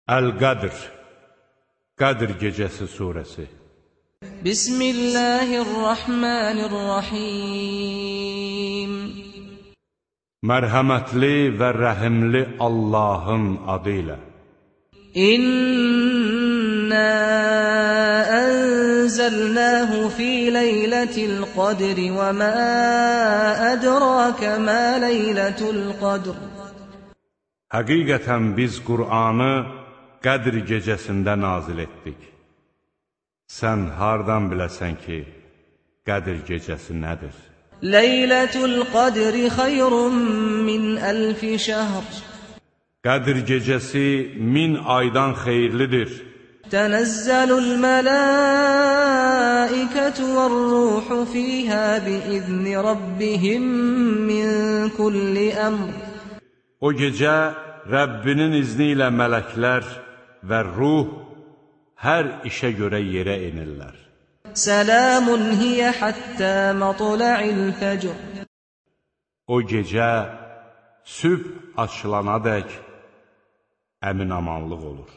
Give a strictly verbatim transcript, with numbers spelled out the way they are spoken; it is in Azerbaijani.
Əl-Qədr, Qədr gecəsi surəsi. Bismillahirrahmanirrahim. Mərhəmətli və rəhimli Allahın adı ilə. İnna ənzəlnəhu fi leylətil qadri və mə ədrakə mə leylətul qadr. Həqiqətən biz Qur'anı Qədr gecəsində nazil etdik. Sən hardan biləsən ki, Qədr gecəsi nədir? Leylətul qadri xeyrun min əlfi şəhr. Qədr gecəsi min aydan xeyirlidir. Tənəzzəlul mələikətü vər-ruhu fiyhə biizni rabbihim min kulli əmr. O gecə Rəbbinin izni ilə mələklər və ruh hər işə görə yerə enirlər. Səlamun hiyə həttə mətla'il fəcr. O gecə sübh açılanadək əmin-amanlıq olur.